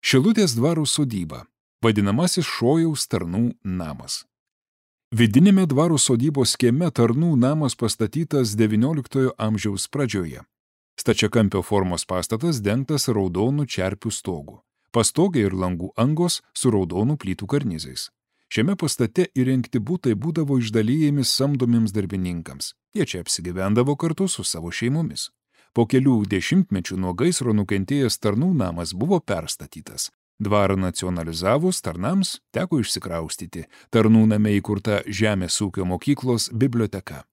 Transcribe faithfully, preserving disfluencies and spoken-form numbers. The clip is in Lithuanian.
Šilutės dvaro sodyba, vadinamasis Šojaus tarnų namas. Vidinėme dvaro sodybos kieme tarnų namas pastatytas devynioliktojo amžiaus pradžioje. Stačiakampio formos pastatas dengtas raudonų čerpių stogu. Pastogė ir langų angos su raudonų plytų karnizais. Šiame pastate įrengti butai būdavo išdalyjami samdomiems darbininkams. Jie čia apsigyvendavo kartu su savo šeimomis. Po kelių dešimtmečių nuo gaisro nukentėjęs tarnų namas buvo perstatytas. Dvarą nacionalizavus tarnams teko išsikraustyti. Tarnų name įkurta Žemės ūkio mokyklos biblioteka.